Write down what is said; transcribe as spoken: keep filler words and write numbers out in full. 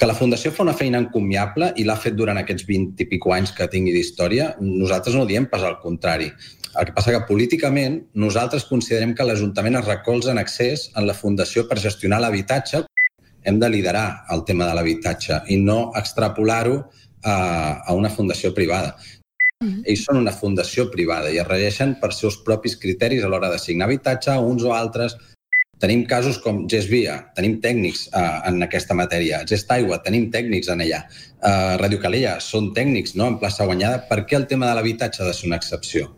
Que la Fundació fa una feina encomiable i l'ha fet durant aquests vint i pico anys que tingui d'història, nosaltres no diem pas al contrari. El que passa que políticament nosaltres considerem que l'Ajuntament es recolza en excés en la Fundació per gestionar l'habitatge. Hem de liderar el tema de l'habitatge i no extrapolar-ho a, a una fundació privada. Mm. Ells són una fundació privada i es regeixen per seus propis criteris a l'hora d'assignar habitatge a uns o altres. Tenim casos com Gesvia, tenim tècnics uh, en aquesta matèria. Gestaigua, tenim tècnics en ella. Uh, Radio Calella, són tècnics, no?, en plaça guanyada. Per què el tema de l'habitatge ha de ser una excepció?